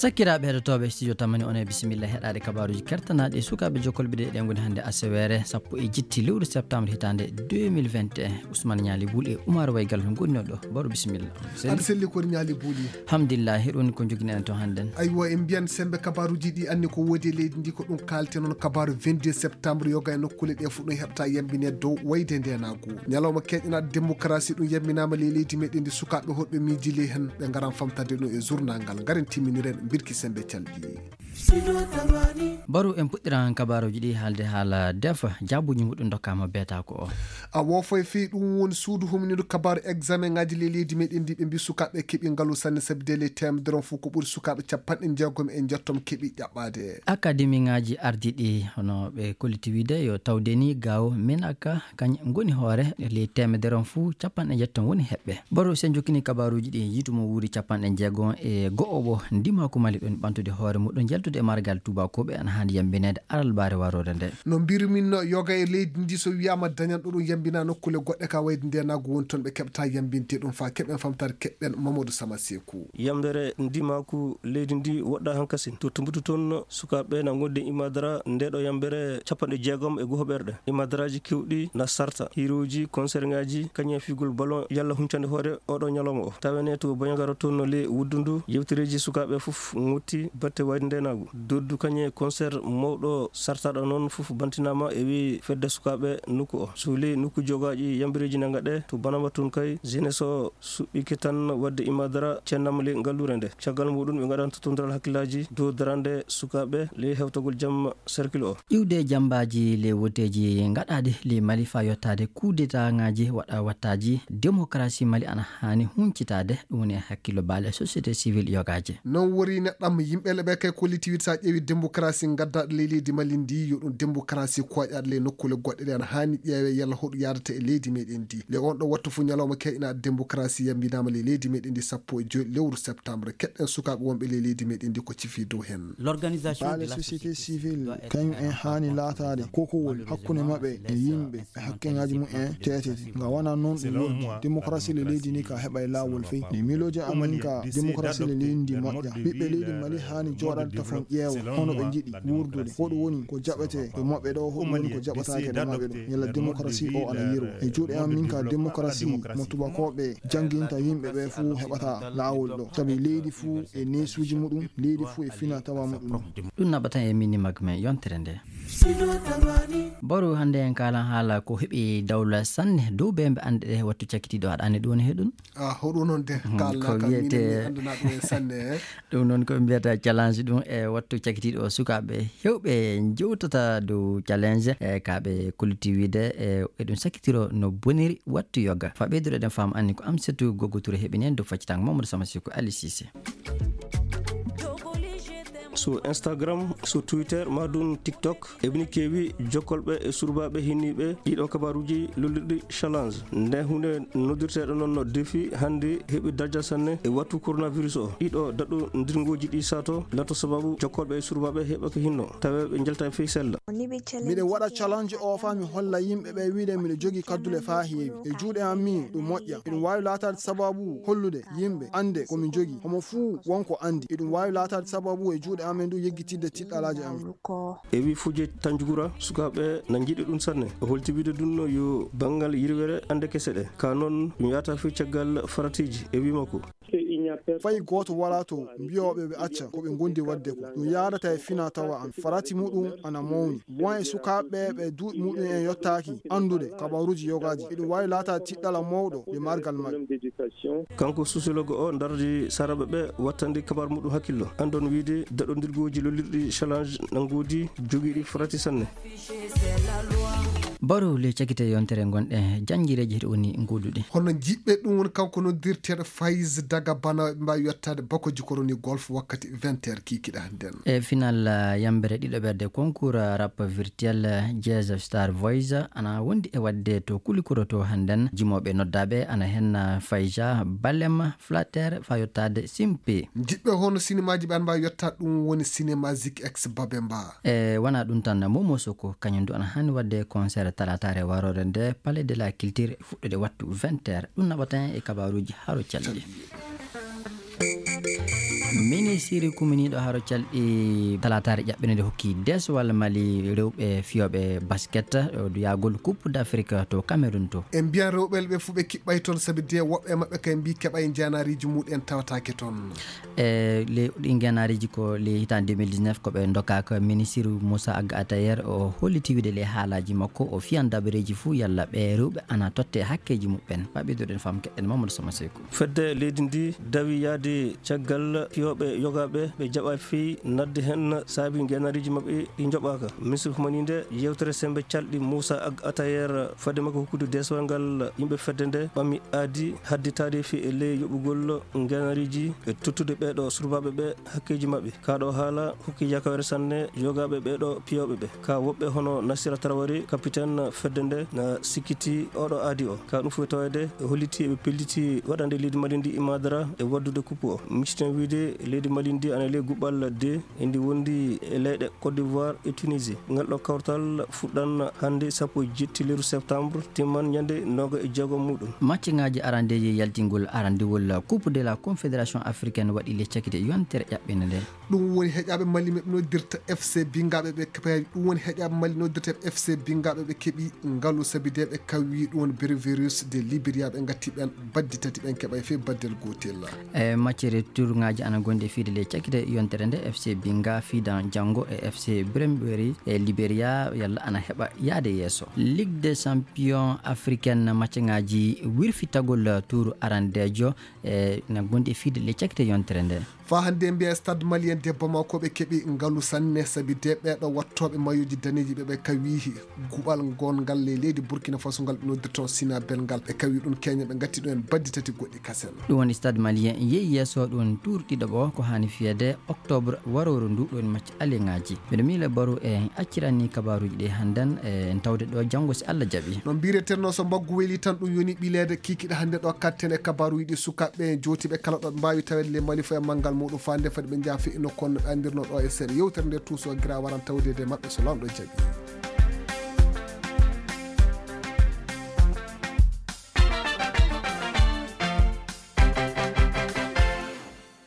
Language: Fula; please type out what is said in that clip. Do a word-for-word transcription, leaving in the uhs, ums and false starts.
Sakkiraaɓe heɗotooɓe studio Tamani, on e bisimilla heɗaade kabaaruuji kertanaaɗi e sukaaɓe jokkolɓe ɗe. Ɗen ngoni hannde aseweere sappo e jetti lewru septembre hitaande deux mille vingt et un. Ousmane Ñaali Bul e Oumar Waygal ngonnoo ɗo. Baro bisimilla. Aɗa selli ko Ñaali Buli. Alhamdulillahi, ɗum ko njoginen en to hannden. Aywa, en mbiyan sembe kabaaruuji ɗi anni ko woodi e leydi ndi, ko ɗum kaalten on kabaaru vingt-deux septembre, yoga e nokkuule ɗe fof ɗum heɓta yambine dow wayde ndenaagu. Ñalawma keeƴanaaɗo démocratie ɗum yambinaama ley leydi meɗen ndi, sukaaɓe hoɗɓe miijili hen ɓe ngaran famtande ɗum e journal ngal. Ngaren timminiren mbirki sembe calɗi. Baro en puɗɗiran kabaaruuji ɗi haalde haala defa, jaabuuji muɗum ndokkaama beetaako o. A woofay fii ɗum woni suudu humniiɗo kabaaru examen ŋaaji ley leydi meɗen ndi, ɓe mbi sukaaɓe keɓi ngalu sanne sabi de ley teemedere on fof ko ɓuri sukaaɓe capanɗe jeegom e njettom keɓi ƴaɓɓaade. Akademi ŋaaji ardiiɗi hono ɓe kolliti wiide yo tawde ni gaaw menaka kañ ngoni hoore ley teemedere on fof capanɗe njettom woni heɓɓe. Baro sen jokkini kabaaruuji ɗi yiitu mo wuuri capanɗe jeegom e go'o o ndimaaku Mali ɗon ɓantude hoore muɗum yaltude e margal tuubakooɓe ana haani yambineede alarbaare waroore nde. No mbirumin no yoga e leydi ndi so wiyaama dañan ɗo ɗum yambina nokkuule goɗɗe ka wayde ndenaagu woni toon ɓe keɓta yambinde ɗum faa keɓen famtaade keɓɓen Mamadou Sama Seeku. Yambere ndimaaku leydi ndi woɗɗa hankasin to tumbutu toon sukaaɓe na ngondi imadara nde ɗo yambere capanɗe jeegom e goho ɓerɗe. Imadaraaji kewɗi na sarta hiirooji, konserŋaaji, kañum e figol ballon yalla huncande hoore oɗo ñalawma o. Tawene to Boñagara toon no le wuddundu yewtereeji sukaaɓe fof ŋotti batte wayde ndenaagu. Doddu kañum e konser mawɗo sartaɗo noon fof bantinaama e wi fedde sukaaɓe nokku o. So le nokku jogaaji yambireeji nanga ɗe to Banama toon kay jeunesse o suɓɓike tan wadde imadara cennam le ngalluure nde. Caggal muɗum ɓe ngaɗan totondiral hakkillaaji dow darande sukaaɓe le hewtagol jam cercle o. Iwde jambaaji le woteeji ngaɗaaɗi le Mali faa yottaade kudetaŋaaji waɗa wattaaji démocratie Mali ana haani huncitaade, ɗum woni e hakkillo baale société civile yogaaje. Non wori neɗɗam yimɓe le ɓe kay kolliti wiide so a ƴeewi démocratie ngaddaaɗo ley leydi Mali ndi yo ɗum démocratie koyɗaaɗo ley nokkuule goɗɗe ɗe ana haani ƴeewe yalla hoɗum yaadata e leydi meɗen ndi. Le on ɗo wattu fof ñalawma keeƴanaaɗo démocratie yambinaama ley leydi meɗen ndi sappo e joy lewru septembre. Keɗɗen sukaaɓe wonɓe ley leydi meɗen ndi ko cifi dow hen. Baale société civile kañum en haani laataade kokowol hakkunde maɓɓe e yimɓe e hakkeŋaaji mum en teetete. Nga wona noon ɗum woni démocratie le leydi ndi ka heɓa e laawol fey. Ni miilooji amin ka démocratie le leydi ndi moƴƴa. Ɓiɓɓe leydi Mali haani jooɗaade tafon ƴeewa hono ɓe njiɗi wuurdude. Ko ɗum woni ko jaɓete e maɓɓe ɗo, ko ɗum woni ko jaɓataake e maɓɓe ɗo. Yalla démocratie o ana yirwa. E juuɗe am min ka démocratie mo tubakooɓe jannginta yimɓe ɓe fuu heɓata laawol ɗo. Sabi leydi fuu e neesuuji muɗum, leydi fuu e fina tawa muɗum. Ɗum naɓata e mini mag men yontere nde. Baro hannde en kaalan haala ko heɓi dawla sanne dow bembe annde ɗe wattu cakkitiiɗo aɗa anndi ɗum woni he ɗum? Ah, hoɗum noon de, mhm, kaalnaa ko kam, wiyetee miin mi anndanaa ɗum en sanne, eh. Ɗum noon ko ɓe mbiyata challenge ɗum e wattu cakkitiiɗo o, sukaaɓe heewɓe njewtata dow challenge, e ka ɓe kolliti wiide, e, eɗum sakkitiro no boniri wattu yoga. Faa ɓeydude eɗen faama anni ko Amsatou Gogo Touré heɓini en dow faccitaango Mamadou Sama Siko Ali Cissé. So Instagram, so Twitter, maa ɗum TikTok, eɓeni keewi jokkolɓe e surbaaɓe hinniiɓe ɗiɗo kabaaruuji lollirɗi challenge. Nde huunde noddirteeɗo noon no défi hannde heɓi darja sanne e wattu coronavirus o. Ɗiɗo daɗɗondirngooji ɗi sato lato sababu jokkolɓe e surbaaɓe heɓa ko hinno, tawa ɓe njalta e fey sella. Miɗen waɗa challenge o faa mi holla yimɓe ɓe wiide miɗo jogii kaddule faa heewi. E juuɗe am min, ɗum moƴƴa. Eɗum waawi laataade sababu hollude yimɓe annde ko min jogii. Homo fuu won ko anndi. Eɗum waawi laataade sababu e juuɗe amen ɗum yeggitidde tiɗɗalaaji amen. E wi Fuje Tanjugura, sukaaɓe na njiɗi ɗum sanne. O holti wiide ɗum no yo banngal yirwere annde kese ɗe. Ka noon, ɗum yahata fii caggal faratiiji. E wi makko. Fay gooto walaa to mbiyooɓe ɓe acca ko ɓe ngondi waɗde ko. Ɗum yaadata e fina tawa am. Farati muɗum ana mawni. Won e sukaaɓe ɓe duuɓi muɗum en yottaaki anndude kabaaruuji yogaaji. Eɗum waawi laataade tiɗɗala mawɗo e margal maɓɓe. Kanko sociologue o dardi saraaɓe ɓe wattandi kabaar muɗum hakkillo. Anndon wiide daɗondirgooji lollirɗi challenge na ngoodi jogiiɗi farati sanne. Baro le cakite yontere ngonɗe janngireeji heɗo woni ngooduɗi. Hono jiɓɓe ɗum woni kanko noddirteeɗo Faiz Daga Bana ɓe mbaawi yottaade bakoji koroni golf wakkati vingt heures kiikiɗe hannden. E final, ah, yambere ɗiɗo ɓerde concours, ah, rap virtuel, ah, Jazz Star Voice, ah, ana wondi e waɗde to Kulikoro to hannden. Jimooɓe noddaaɓe ana hen, ah, Faiza Balem, Flatter, faa yottaade Simpi. Jiɓɓe hono sinimaaji ɓe ana mbaawi yottaade ɗum woni sinema Zik X Babemba. E wona ɗum tan, Momo Soko, kañum du ana haani waɗde concert talaataare waroore nde Palais de la Culture fuɗɗude wattu vingt heures. Ɗum naɓata en e kabaaruuji haro calɗi. Minisiri kuminiiɗo haro calɗi talaataare ƴaɓɓende nde hokki deesowal Mali rewɓe fiyooɓe basket, o yaagol Coupe d'Afrique to Cameroun to. E mbiyan rewɓe ɓe fuu ɓe kiɓɓay toon, sabi de woɓɓe e maɓɓe kay mbii keɓay njanariiji muɗen tawataake toon. E le, ɗi njanariiji ko le hitaande deux mille dix-neuf ko ɓe ndokaaka minisiri Moussa Ag Atayer o holliti wiide le haalaaji makko o fiyan dabareeji fuu yalla ɓe rewɓe ana totte hakkeeji muɓɓen. Ɓaɓɓe doɗen fam keɗen Mamadou Sama Seyku. Fedde leydi ndi dawi yahde caggal fiyooɓe yogaaɓe ɓe jaɓaa fii nadde heen saabi ngenariiji maɓɓe ɗi njoɓaaka. Misir humaninde yewtere semmbe calɗi Moussa Ag Atayer fadde makko hokkude deesowal ngal yimɓe fedde nde ɓami aadi hadditaade fii e ley yoɓugol ngenariiji e tottude ɓeeɗo surbaaɓe ɓe hakkeeji maɓɓe. Kaa ɗo haala hokki yakawere sanne yogaaɓe ɓeeɗo piyooɓe ɓe. Ka woɓɓe hono Nasira Tarawari, kapiten fedde nde, na sikkiti oɗo aadi o. Ka ɗum fof taweede e holliti eɓe pelliti waɗande leydi Mali ndi imadara e waddude kuppu o. Micciten wiide leydi Mali ndi ana ley guɓɓal de, e ndi wondi e leyɗe Côte d'Ivoire e Tunisie. Ngal ɗo kawtal fuɗɗan hannde sappo e jetti lewru septembre, timman ñande nooga e jeego muɗum. Macceŋaaji arandeeji yaltingol arandewol Coupe de la Confédération Africaine waɗi le cakite yontere ƴaɓɓinde nde. Ɗum woni heƴaaɓe Mali ɓe noddirta F C Bingaaɓe ɓe keɓi, ɗum woni heƴaaɓe Mali noddirta F C Bingaaɓe ɓe keɓi ngalu sabi de ɓe kawii ɗum woni Brevirus de Liberia ɓe ngatti ɓen baddi tati ɓen keɓay fii baddel gootel. E maccere tournoi ji ana gondi e fiide le cakite yontere nde F C Binga fiidan janngo e F C Brevirus e Liberia yalla ana heɓa yaade yeeso. Ligue des champions africaine macceŋaaji wirfitagol tour arandeejo e na gondi e fiide le cakite yontere nde. Faa hannde mbiya Stade Malien de Bamako ɓe keɓi ngalu sanne sabi de ɓeeɗo wattooɓe mayoji daneeji ɓe ɓe kawii guɓal ngon ngal ley leydi Burkina Faso ngal ɓe noddirta Sina Bel ngal ɓe kawii ɗum Kenya ɓe ngatti ɗum en baddi tati goɗɗi kasen. Ɗum woni Stade Malien yehi yeeso ɗum tour ɗiɗaɓo ko haani fiyeede octobre warooru ndu ɗum woni macce aleŋaaji. Mbiɗo miila Baru e en acciran ni kabaaruuji ɗi hannden e en tawde ɗo janngo si Allah jaɓi. No mbiretenno so mbaggu weli tan ɗum yoni ɓileede kikiɗe hannde ɗo katten e kabaaruuji ɗi sukaaɓe jootiiɓe kala ɗo ɓe mbaawi taweede le Mali fo e manngal muɗum faande fade ɓe njaha fii nokku on no ɓe anndirno ɗo e seeɗa yewtere nde tuuso gira waran tawdeede e maɓɓe so Laamɗo jaɓi.